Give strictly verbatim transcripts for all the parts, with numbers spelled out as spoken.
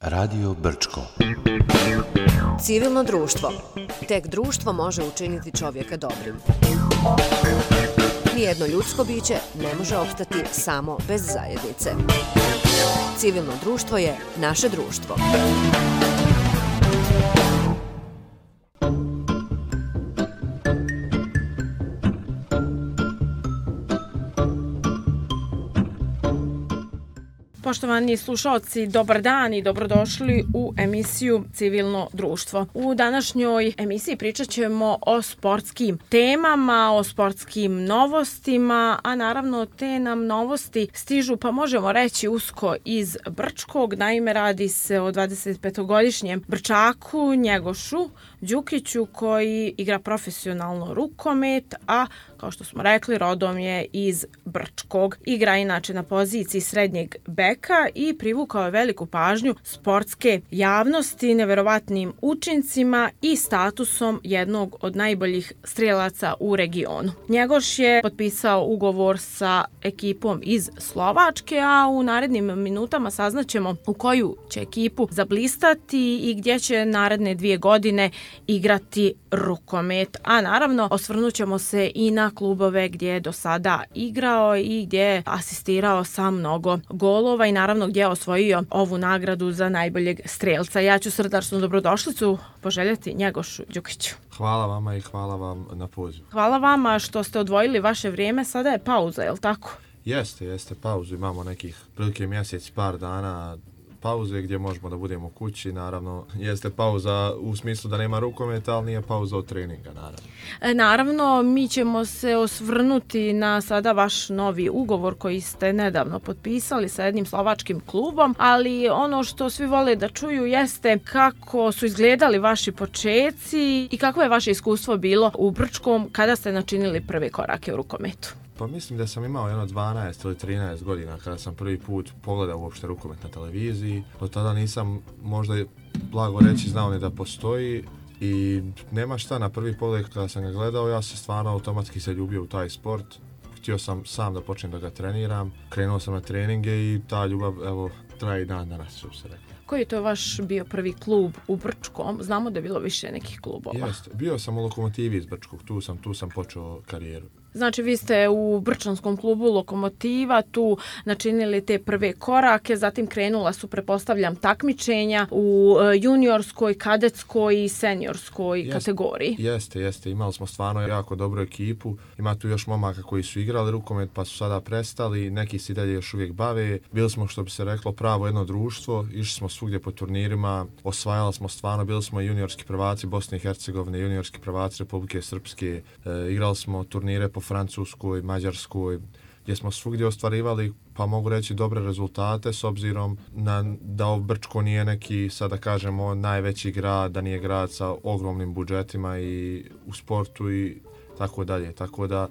Radio Brčko. Civilno društvo. Tek društvo može učiniti čovjeka dobrim. Nijedno ljudsko biće ne može opstati samo bez zajednice. Civilno društvo je naše društvo. Poštovani slušalci, dobar dan i dobrodošli u emisiju Civilno društvo. U današnjoj emisiji pričat ćemo o sportskim temama, o sportskim novostima, a naravno te nam novosti stižu, pa možemo reći, usko iz Brčkog. Naime, radi se o dvadesetpetogodišnjem Brčaku Njegošu Đukiću koji igra profesionalno rukomet, a kao što smo rekli, rodom je iz Brčkog. Igra inače na poziciji srednjeg beka i privukao je veliku pažnju sportske javnosti neverovatnim učincima i statusom jednog od najboljih strijelaca u regionu. Njegoš je potpisao ugovor sa ekipom iz Slovačke, a u narednim minutama saznaćemo u koju će ekipu zablistati i gdje će naredne dvije godine igrati rukomet. A naravno, osvrnut ćemo se i na klubove gdje je do sada igrao i gdje je asistirao sa mnogo golova i naravno gdje je osvojio ovu nagradu za najboljeg strijelca. Ja ću srdačnu dobrodošlicu poželjeti Njegošu Đukiću. Hvala vama i hvala vam na pozivu. Hvala vama što ste odvojili vaše vrijeme. Sada je pauza, je li tako? Jeste, jeste pauzu. Imamo nekih prilike mjesec, par dana pauze gdje možemo da budemo kući. Naravno, jeste pauza u smislu da nema rukometa, ali nije pauza od treninga, naravno. E, naravno, mi ćemo se osvrnuti na sada vaš novi ugovor koji ste nedavno potpisali sa jednim slovačkim klubom, ali ono što svi vole da čuju jeste kako su izgledali vaši počeci i kako je vaše iskustvo bilo u Brčkom kada ste načinili prve korake u rukometu. Pa mislim da sam imao jedno dvanaest ili trinaest godina kada sam prvi put pogledao uopšte rukomet na televiziji. Od tada nisam možda blago reći znao ni da postoji i nema šta, na prvi pogled kada sam ga gledao ja se stvarno automatski se ljubio u taj sport. Htio sam sam da počnem da ga treniram, krenuo sam na treninge i ta ljubav evo traje i dan danas, što se rekao. Koji je to vaš bio prvi klub u Brčkom? Znamo da je bilo više nekih klubova. Jeste, bio sam u Lokomotivi iz Brčkog, tu sam, tu sam počeo karijeru. Znači vi ste u Brčanskom klubu Lokomotiva tu načinili te prve korake, zatim krenula su, prepostavljam, takmičenja u juniorskoj, kadetskoj i seniorskoj Jest, kategoriji. Jeste, jeste. Imali smo stvarno jako dobru ekipu. Ima tu još momaka koji su igrali rukomet pa su sada prestali, neki se dalje još uvijek bave. Bili smo, što bi se reklo, pravo jedno društvo, išli smo svugdje po turnirima, osvajali smo stvarno, bili smo juniorski prvaci Bosne i Hercegovine, juniorski prvaci Republike Srpske, e, igrali smo turnire po Francuskoj, Mađarskoj, gdje smo svugdje ostvarivali, pa mogu reći, dobre rezultate s obzirom na da Brčko nije neki, sada kažemo, najveći grad, da nije grad sa ogromnim budžetima i u sportu i tako dalje. Tako da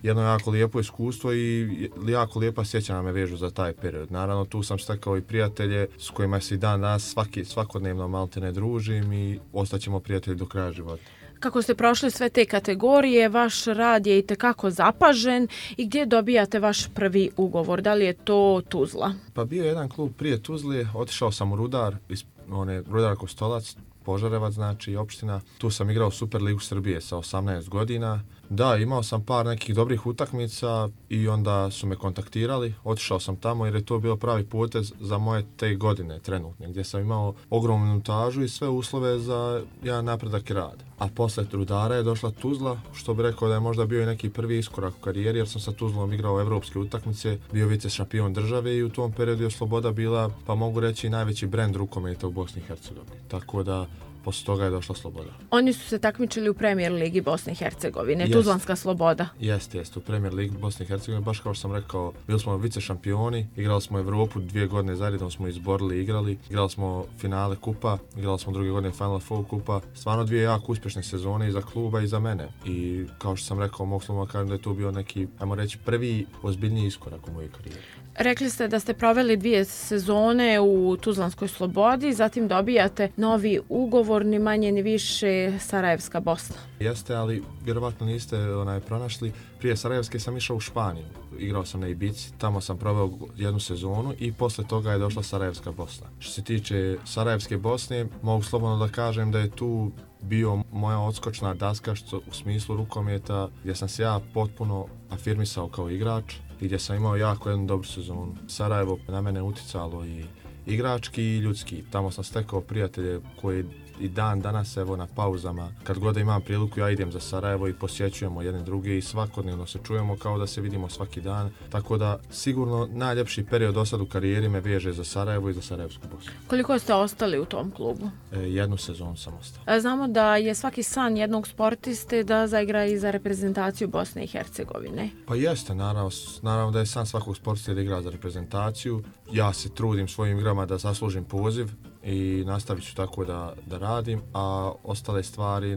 jedno jako lijepo iskustvo i jako lijepa sjećanja me vežu za taj period. Naravno, tu sam stekao i prijatelje s kojima se i dan danas svaki, svakodnevno maltene družim i ostaćemo prijatelji do kraja života. Kako ste prošli sve te kategorije, vaš rad je itekako zapažen i gdje dobijate vaš prvi ugovor? Da li je to Tuzla? Pa bio je jedan klub prije Tuzle, otišao sam u Rudar, iz, one, Rudar Kostolac, Požarevac, znači opština. Tu sam igrao Super ligu Srbije sa osamnaest godina. Da, imao sam par nekih dobrih utakmica i onda su me kontaktirali. Otišao sam tamo jer je to bio pravi potez za moje te godine trenutne, gdje sam imao ogromnu minutažu i sve uslove za jedan napredak i rad. A posle Rudara je došla Tuzla, što bi rekao da je možda bio i neki prvi iskorak u karijeri, jer sam sa Tuzlom igrao evropske utakmice, bio vice šampion države i u tom periodu je Sloboda bila, pa mogu reći, najveći brend rukometa u Bosni i Hercegovini. Tako da posle toga je došla Sloboda. Oni su se takmičili u Premier ligi Bosne i Hercegovine, Jest. Tuzlanska Sloboda. Jeste, jeste, u Premier ligi Bosne i Hercegovine, baš kao što sam rekao, bili smo vice šampioni, igrali smo Evropu dvije godine zaredom, smo izborili i igrali, igrali smo finale kupa, igrali smo druge godine Final Four kupa, stvarno dvije jako uspješne sezone i za kluba i za mene. I kao što sam rekao, mogu slobodno kažem da je to bio neki, ajmo reći, prvi ozbiljniji iskorak u mojoj karijeri. Rekli ste da ste proveli dvije sezone u Tuzlanskoj Slobodi, zatim dobijate novi ugovor izgovor ni manje ni više Sarajevska Bosna. Jeste, ali vjerovatno niste onaj pronašli. Prije Sarajevske sam išao u Španiju. Igrao sam na Ibici, tamo sam proveo jednu sezonu i posle toga je došla Sarajevska Bosna. Što se tiče Sarajevske Bosne, mogu slobodno da kažem da je tu bio moja odskočna daska što u smislu rukometa gdje sam se ja potpuno afirmisao kao igrač i gdje sam imao jako jednu dobru sezonu. Sarajevo na mene uticalo i igrački i ljudski. Tamo sam stekao prijatelje koji i dan danas evo na pauzama, kad god imam priliku ja idem za Sarajevo i posjećujemo jedne druge i svakodnevno se čujemo kao da se vidimo svaki dan. Tako da sigurno najljepši period do sad u karijeri me veže za Sarajevo i za Sarajevsku Bosnu. Koliko ste ostali u tom klubu? E, jednu sezonu sam ostao. Znamo da je svaki san jednog sportiste da zaigra i za reprezentaciju Bosne i Hercegovine. Pa jeste, naravno, naravno da je san svakog sportista da igra za reprezentaciju. Ja se trudim svojim igrama da zaslužim poziv i nastavit ću tako da, da radim, a ostale stvari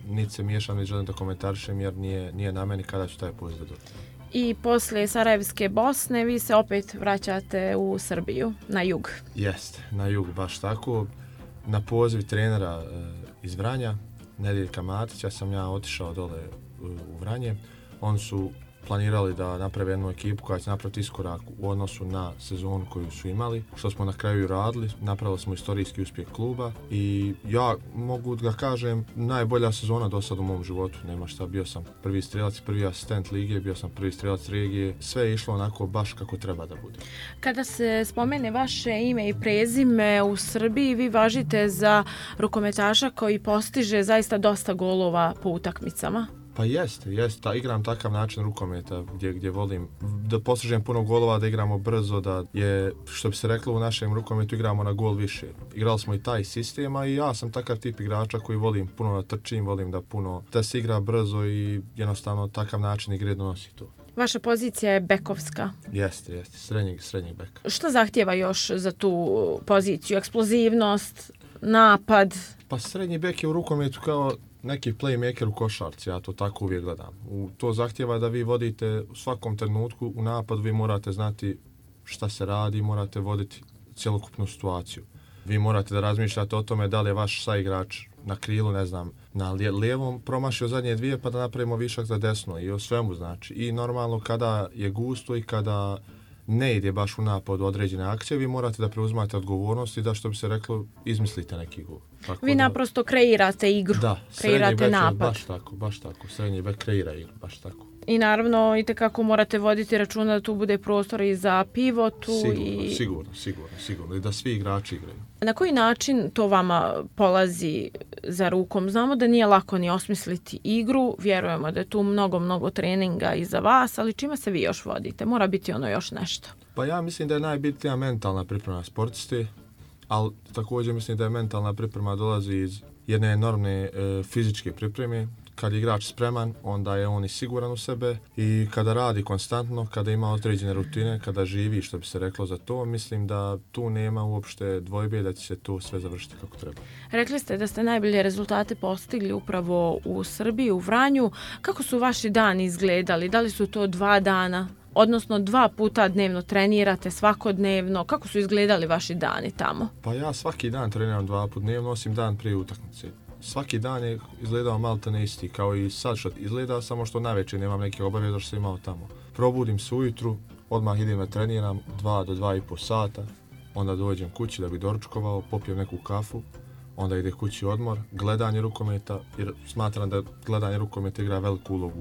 niti se miješam, niti želim da komentarišem jer nije, nije na meni kada ću taj poziv da dobijem. I poslije Sarajevske Bosne vi se opet vraćate u Srbiju, na jug. Jeste, na jug, baš tako. Na poziv trenera e, iz Vranja, Nediljka Matića, sam ja otišao dole u, u Vranje. Oni su planirali da naprave jednu ekipu koja će napraviti iskorak u odnosu na sezonu koju su imali, što smo na kraju radili. Napravili smo istorijski uspjeh kluba i ja mogu da kažem najbolja sezona do sad u mom životu. Nema šta, bio sam prvi strelac, prvi asistent lige, bio sam prvi strelac regije. Sve je išlo onako baš kako treba da bude. Kada se spomene vaše ime i prezime u Srbiji, vi važite za rukometaša koji postiže zaista dosta golova po utakmicama. Pa jeste, jeste. Ta, igram takav način rukometa gdje, gdje volim da postižem puno golova, da igramo brzo, da je, što bi se reklo u našem rukometu, igramo na gol više. Igrali smo i taj sistem, a i ja sam takav tip igrača koji volim puno da trčim, volim da puno da se igra brzo i jednostavno takav način igre donosi to. Vaša pozicija je bekovska. Jeste, jeste, srednjeg, srednjeg beka. Što zahtijeva još za tu poziciju? Eksplozivnost, napad? Pa srednji bek je u rukometu kao neki playmaker u košarci, ja to tako uvijek gledam. U, to zahtjeva da vi vodite u svakom trenutku u napadu, vi morate znati šta se radi, morate voditi cjelokupnu situaciju. Vi morate da razmišljate o tome da li je vaš saigrač na krilu, ne znam, na lijevom promašio zadnje dvije pa da napravimo višak za desno i o svemu znači. I normalno kada je gusto i kada ne ide baš u napad određene akcije, vi morate da preuzmate odgovornost i da, što bi se reklo, izmislite neki gol. Tako vi da, naprosto kreirate igru, da, kreirate napad. Baš tako, baš tako. Srednji bek kreira igru, baš tako. I naravno, itekako morate voditi računa da tu bude prostor i za pivotu. Sigurno, i... sigurno, sigurno, sigurno. I da svi igrači igraju. Na koji način to vama polazi za rukom? Znamo da nije lako ni osmisliti igru, vjerujemo da je tu mnogo, mnogo treninga iza vas, ali čime se vi još vodite? Mora biti ono još nešto. Pa ja mislim da je najbitnija mentalna priprema sportisti, ali također mislim da je mentalna priprema dolazi iz jedne enormne e, fizičke pripreme. Kad je igrač spreman, onda je on i siguran u sebe i kada radi konstantno, kada ima određene rutine, kada živi, što bi se reklo za to, mislim da tu nema uopšte dvojbe da će se to sve završiti kako treba. Rekli ste da ste najbolje rezultate postigli upravo u Srbiji, u Vranju. Kako su vaši dani izgledali? Da li su to dva dana? Odnosno dva puta dnevno trenirate, svakodnevno. Kako su izgledali vaši dani tamo? Pa ja svaki dan treniram dva puta dnevno, osim dan prije utakmice. Svaki dan je izgledao maltene isti, kao i sad što izgleda, samo što navečer nemam neke obaveze što sam imao tamo. Probudim se ujutru, odmah idem da treniram dva do dva i po sata, onda dođem kući da bi doručkovao, popijem neku kafu, onda ide kući odmor, gledanje rukometa, jer smatram da gledanje rukometa igra veliku ulogu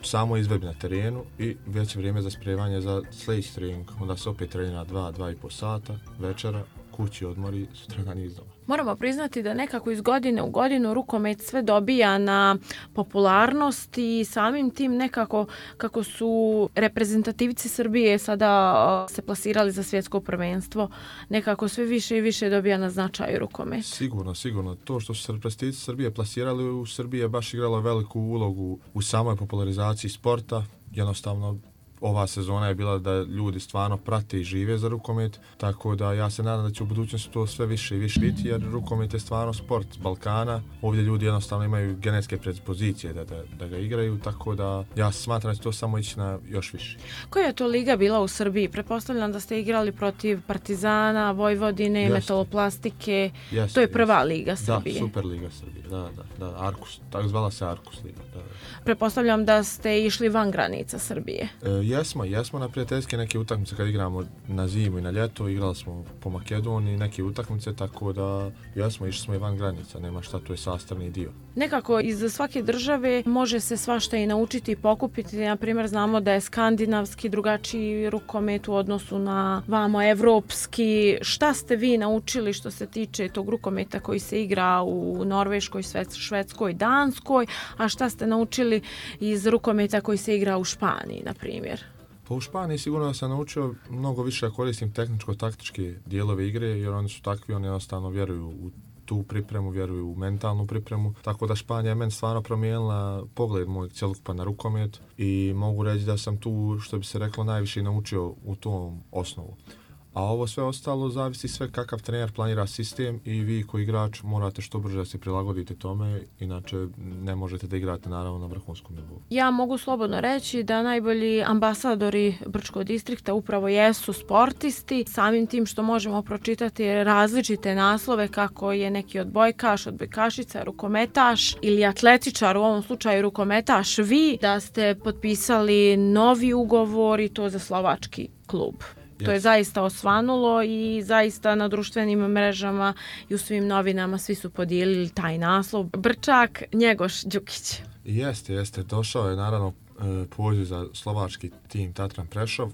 u samoj izvedbi na terenu i već je vrijeme za spremanje za sljedeći trening. Onda se opet trenira dva, dva i po sata, večera, kući odmor i sutradan iznova. Moramo priznati da nekako iz godine u godinu rukomet sve dobija na popularnosti i samim tim nekako kako su reprezentativci Srbije sada se plasirali za svjetsko prvenstvo, nekako sve više i više dobija na značaju rukomet. Sigurno, sigurno. To što su se reprezentativci Srbije plasirali u Srbiji je baš igralo veliku ulogu u samoj popularizaciji sporta. Jednostavno, ova sezona je bila da ljudi stvarno prate i žive za rukomet, tako da ja se nadam da će u budućnosti to sve više i više biti, jer rukomet je stvarno sport Balkana. Ovdje ljudi jednostavno imaju genetske predispozicije da, da, da ga igraju, tako da ja smatram da će to samo ići na još više. Koja je to liga bila u Srbiji? Pretpostavljam da ste igrali protiv Partizana, Vojvodine, Jeste. Metaloplastike. Jeste, to je prva jeste. liga Srbije. Da, super liga Srbije, da, da, da, Arkus, tako zvala se Arkus liga, da. Pretpostavljam da ste išli van granica Srbije. E, jesmo, jesmo na prijateljske neke utakmice kad igramo na zimu i na ljeto, igrali smo po Makedoniji neke utakmice, tako da jesmo, išli smo i van granica, nema šta, to je sastavni dio. Nekako iz svake države može se svašta i naučiti i pokupiti, na primjer znamo da je skandinavski drugačiji rukomet u odnosu na vamo evropski. Šta ste vi naučili što se tiče tog rukometa koji se igra u Norveškoj, Švedskoj, Danskoj, a šta ste naučili iz rukometa koji se igra u Španiji, na primjer? Pa u Španiji sigurno da sam naučio mnogo više da koristim tehničko-taktičke dijelove igre, jer oni su takvi, oni jednostavno vjeruju u tu pripremu, vjeruju u mentalnu pripremu, tako da Španija je meni stvarno promijenila pogled moj cjelokupan na rukomet i mogu reći da sam tu, što bi se reklo, najviše naučio u tom osnovu. A ovo sve ostalo zavisi sve kakav trener planira sistem i vi koji igrač morate što brže da se prilagodite tome, inače ne možete da igrate naravno na vrhunskom nivou. Ja mogu slobodno reći da najbolji ambasadori Brčkog distrikta upravo jesu sportisti, samim tim što možemo pročitati različite naslove kako je neki odbojkaš, odbojkašica, rukometaš ili atletičar, u ovom slučaju rukometaš vi, da ste potpisali novi ugovor i to za slovački klub. To je zaista osvanulo i zaista na društvenim mrežama i u svim novinama svi su podijelili taj naslov. Brčak, Njegoš Đukić. Jeste, jeste. Došao je naravno poziv za slovački tim Tatran Prešov.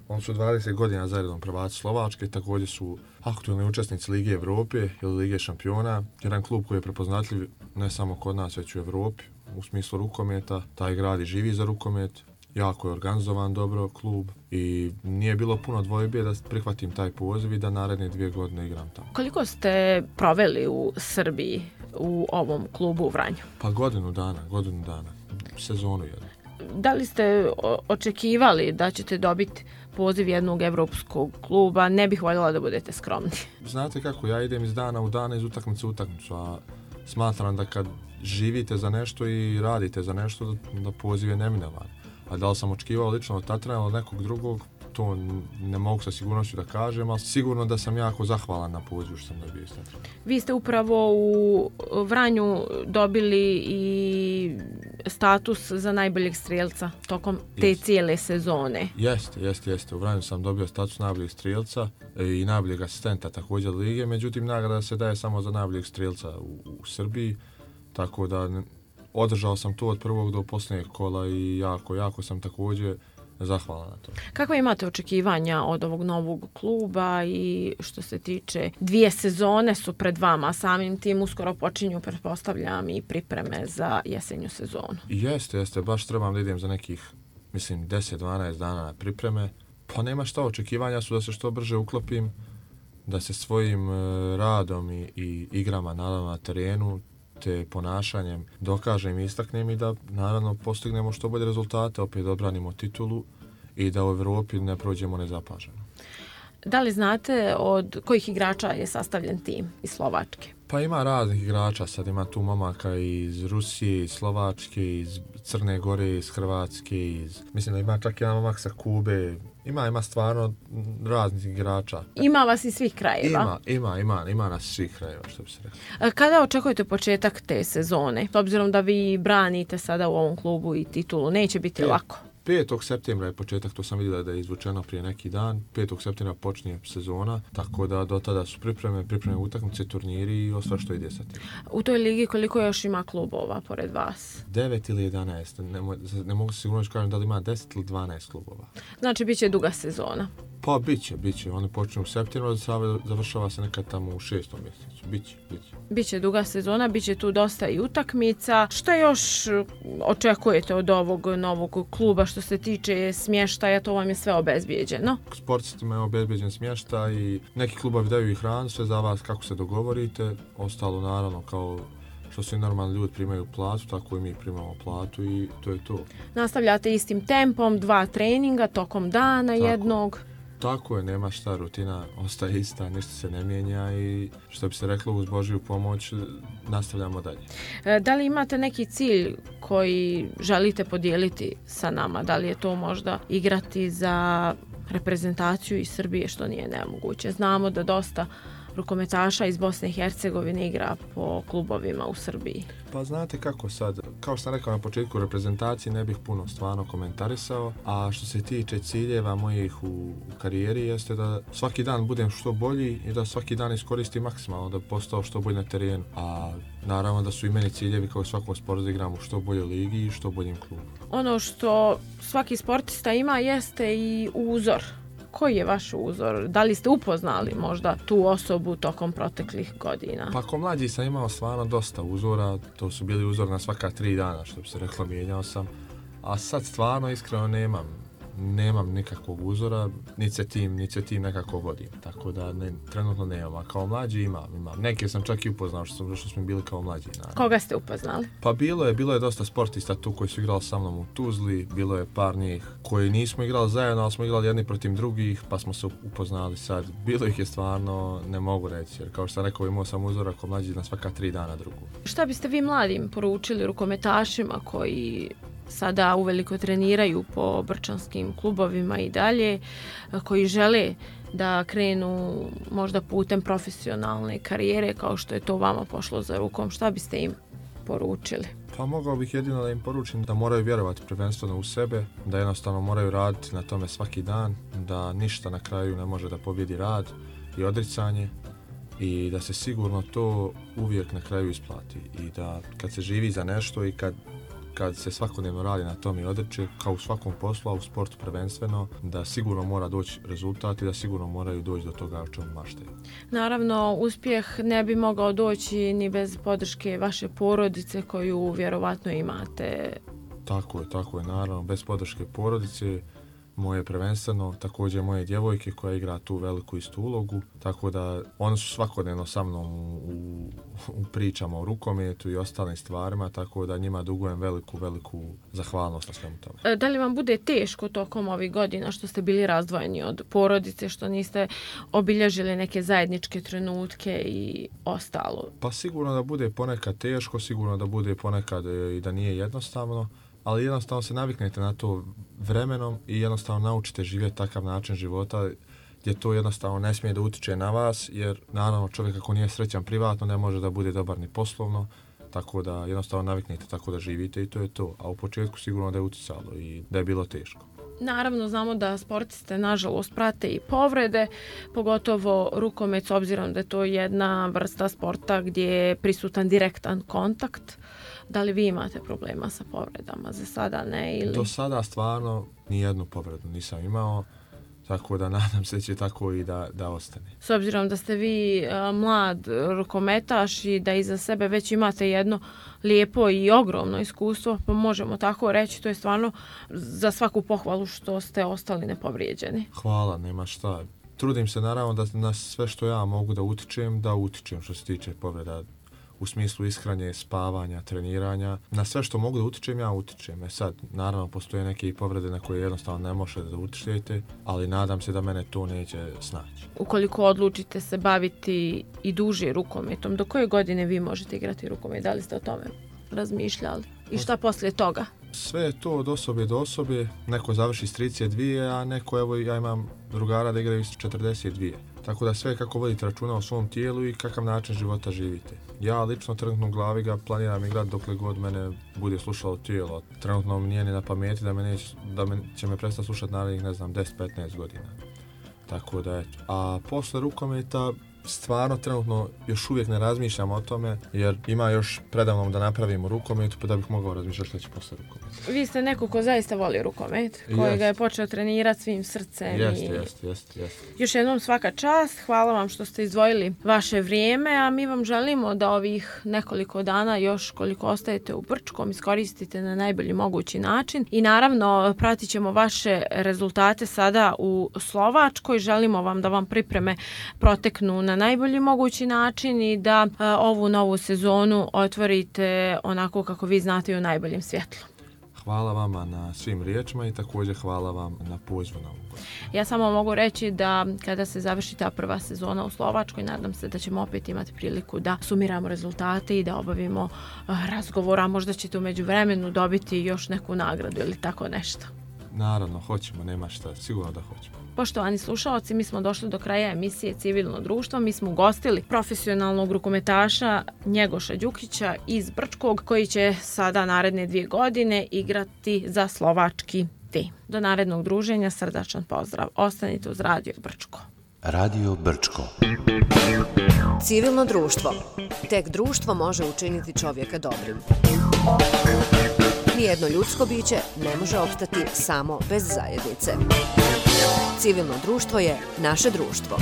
On su dvadeset godina zaredom prvaci Slovačke, također su aktualni učesnici Lige Evrope ili Lige šampiona. Jedan klub koji je prepoznatljiv ne samo kod nas, već u Evropi u smislu rukometa. Taj grad i živi za rukomet. Jako je organizovan dobro klub i nije bilo puno dvojbe da prihvatim taj poziv i da naredne dvije godine igram tamo. Koliko ste proveli u Srbiji u ovom klubu u Vranju? Pa godinu dana, godinu dana, sezonu jednu. Da li ste očekivali da ćete dobiti poziv jednog evropskog kluba? Ne bih voljela da budete skromni. Znate kako, ja idem iz dana u dana, iz utakmice u utakmicu, a smatram da kad živite za nešto i radite za nešto, da, da poziv je neminovan. A da li sam očekivao lično od Tatrana ili nekog drugog, to ne mogu sa sigurnošću da kažem, ali sigurno da sam jako zahvalan na pozivu što sam dobio iz Tatrana. Vi ste upravo u Vranju dobili i status za najboljeg strijelca tokom te jest. cijele sezone. Jeste, jeste, jeste. U Vranju sam dobio status najboljeg strijelca i najboljeg asistenta također lige, međutim nagrada se daje samo za najboljeg strijelca u, u Srbiji, tako da održao sam to od prvog do posljednjeg kola i jako, jako sam također zahvalan na to. Kakva imate očekivanja od ovog novog kluba i što se tiče dvije sezone su pred vama, samim tim uskoro počinju, pretpostavljam, i pripreme za jesenju sezonu? Jeste, jeste, baš trebam da idem za nekih, mislim, deset do dvanaest dana na pripreme. Pa nema šta, očekivanja su da se što brže uklopim, da se svojim radom i, i igrama naravno na terenu te ponašanjem dokažem i istaknem i da naravno postignemo što bolje rezultate, opet odbranimo titulu i da u Evropi ne prođemo nezapaženo. Da li znate od kojih igrača je sastavljen tim iz Slovačke? Pa ima raznih igrača, sad ima tu momaka iz Rusije, iz Slovačke, iz Crne Gore, iz Hrvatske, iz... mislim da ima čak jedan momak sa Kube. Ima, ima stvarno raznih igrača. Ima vas iz svih krajeva? Ima, ima, ima, ima nas svih krajeva, što bi se rekao. Kada očekujete početak te sezone? S obzirom da vi branite sada u ovom klubu i titulu, neće biti Pet, lako. petog septembra je početak, to sam vidio da je izvučeno prije neki dan. petog septembra počinje sezona, tako da do tada su pripreme, pripreme utakmice, turniri i ostalo što ide sa tim. U toj ligi koliko još ima klubova pored vas? devet ili jedanaest, ne, ne mogu se sigurno kažem da li ima deset ili dvanaest klubova. Znači bit će duga sezona? Pa bit će, bit će. Oni počinju u septembru, završava se nekad tamo u šestom mjesecu. Biće, biće. Biće duga sezona, biće tu dosta i utakmica. Što još očekujete od ovog novog kluba što se tiče smještaja? To vam je sve obezbijeđeno? Sportistima je obezbijeđen smještaj i neki klubovi daju i hranu, sve za vas kako se dogovorite. Ostalo naravno kao što svi normalni ljudi primaju platu, tako i mi primamo platu i to je to. Nastavljate istim tempom, dva treninga tokom dana tako. jednog. Tako je, nema šta, rutina ostaje ista, ništa se ne mijenja i što bi se reklo uz Božju pomoć nastavljamo dalje. Da li imate neki cilj koji želite podijeliti sa nama? Da li je to možda igrati za reprezentaciju iz Srbije, što nije nemoguće? Znamo da dosta rukometaša iz Bosne i Hercegovine igra po klubovima u Srbiji. Pa znate kako sad, kao što sam rekao na početku reprezentacije ne bih puno stvarno komentarisao, a što se tiče ciljeva mojih u, u karijeri jeste da svaki dan budem što bolji i da svaki dan iskoristim maksimalno da bi postao što bolji na terenu, a naravno da su i meni ciljevi kao svakom sportu da igram u što boljoj ligi i što boljim klubu. Ono što svaki sportista ima jeste i uzor. Koji je vaš uzor? Da li ste upoznali možda tu osobu tokom proteklih godina? Pa ko mlađi sam imao stvarno dosta uzora, to su bili uzor na svaka tri dana, što bi se reklo, mijenjao sam. A sad stvarno iskreno nemam, nemam nikakvog uzora, ni se tim, ni se tim nekako vodim, tako da ne, trenutno nemam, a kao mlađi imam, imam. Neke sam čak i upoznao što, sam, što smo bili kao mlađi. Naravno. Koga ste upoznali? Pa bilo je, bilo je dosta sportista tu koji su igrali sa mnom u Tuzli, bilo je par njih koji nismo igrali zajedno, ali smo igrali jedni protiv drugih, pa smo se upoznali sad. Bilo ih je stvarno, ne mogu reći, jer kao što sam rekao, imao sam uzora kao mlađi na svaka tri dana drugu. Šta biste vi mladim poručili rukometašima koji sada uveliko treniraju po brčanskim klubovima i dalje, koji žele da krenu možda putem profesionalne karijere kao što je to vama pošlo za rukom? Šta biste im poručili? Pa mogao bih jedino da im poručim da moraju vjerovati prvenstveno u sebe, da jednostavno moraju raditi na tome svaki dan, da ništa na kraju ne može da pobjedi rad i odricanje i da se sigurno to uvijek na kraju isplati i da kad se živi za nešto i kad kad se svakodnevno radi na tom i odreće, kao u svakom poslu, a u sportu prvenstveno, da sigurno mora doći rezultat i da sigurno moraju doći do toga o čemu maštaju. Naravno, uspjeh ne bi mogao doći ni bez podrške vaše porodice koju vjerovatno imate. Tako je, tako je, naravno, bez podrške porodice, moje prvenstveno, također moje djevojke koja igra tu veliku istu ulogu, tako da one su svakodnevno sa mnom u, u pričama o rukometu i ostalim stvarima, tako da njima dugujem veliku, veliku zahvalnost na svemu tome. Da li vam bude teško tokom ovih godina što ste bili razdvojeni od porodice, što niste obilježili neke zajedničke trenutke i ostalo? Pa sigurno da bude ponekad teško, sigurno da bude ponekad i da nije jednostavno, ali jednostavno se naviknete na to vremenom i jednostavno naučite živjeti takav način života gdje to jednostavno ne smije da utiče na vas, jer naravno čovjek ako nije srećan privatno ne može da bude dobar ni poslovno, tako da jednostavno naviknete tako da živite i to je to. A u početku sigurno da je uticalo i da je bilo teško. Naravno, znamo da sportiste nažalost prate i povrede, pogotovo rukomet, s obzirom da je to jedna vrsta sporta gdje je prisutan direktan kontakt. Da li vi imate problema sa povredama? Za sada ne? Ili... Do sada stvarno nijednu povredu nisam imao, tako da nadam se će tako i da, da ostane. S obzirom da ste vi a, mlad rukometaš i da iza sebe već imate jedno lijepo i ogromno iskustvo, pa možemo tako reći, to je stvarno za svaku pohvalu što ste ostali nepovrijeđeni. Hvala, nema šta. Trudim se naravno da na sve što ja mogu da utičem, da utičem što se tiče povreda u smislu ishrane, spavanja, treniranja. Na sve što mogu da utičem, ja utičem. E sad, naravno, postoje neke povrede na koje jednostavno ne možete da utičete, ali nadam se da mene to neće snaći. Ukoliko odlučite se baviti i duže rukometom, do koje godine vi možete igrati rukomet? Da li ste o tome razmišljali? I šta poslije toga? Sve je to od osobe do osobe. Neko završi s trideset dvije, a neko, evo, ja imam drugara da igraju s četrdeset dvije. Tako da sve kako vodite računa o svom tijelu i kakav način života živite. Ja lično trenutno u glavi ga planiram igrati dokle god mene bude slušalo tijelo. Trenutno mi nije ni na pameti da me, neć, da me će me prestati slušati narednih, ne znam, deset do petnaest godina. Tako da eto. A posle rukometa stvarno trenutno još uvijek ne razmišljam o tome, jer ima još predavno da napravimo rukomet, pa da bih mogao razmišljati što će posle rukometa. Vi ste neko ko zaista voli rukomet, koji ga je počeo trenirati svim srcem. Jeste, i... jeste, jeste, jeste. Još jednom svaka čast, hvala vam što ste izdvojili vaše vrijeme, a mi vam želimo da ovih nekoliko dana još koliko ostajete u Brčkom iskoristite na najbolji mogući način i naravno pratit ćemo vaše rezultate sada u Slovačkoj. Želimo vam da vam pripreme proteknu na najbolji mogući način i da a, ovu novu sezonu otvorite onako kako vi znate i u najboljem svjetlu. Hvala vama na svim riječima i također hvala vam na pozivu na ovu. Ja samo mogu reći da kada se završi ta prva sezona u Slovačkoj, nadam se da ćemo opet imati priliku da sumiramo rezultate i da obavimo razgovor, a možda ćete u međuvremenu dobiti još neku nagradu ili tako nešto. Naravno, hoćemo, nema šta, sigurno da hoćemo. Poštovani slušaoci, mi smo došli do kraja emisije Civilno društvo. Mi smo ugostili profesionalnog rukometaša Njegoša Đukića iz Brčkog, koji će sada naredne dvije godine igrati za slovački tim. Do narednog druženja, srdačan pozdrav. Ostanite uz Radio Brčko. Radio Brčko. Civilno društvo. Tek društvo može učiniti čovjeka dobrim. Nijedno ljudsko biće ne može opstati samo bez zajednice. Civilno društvo je naše društvo.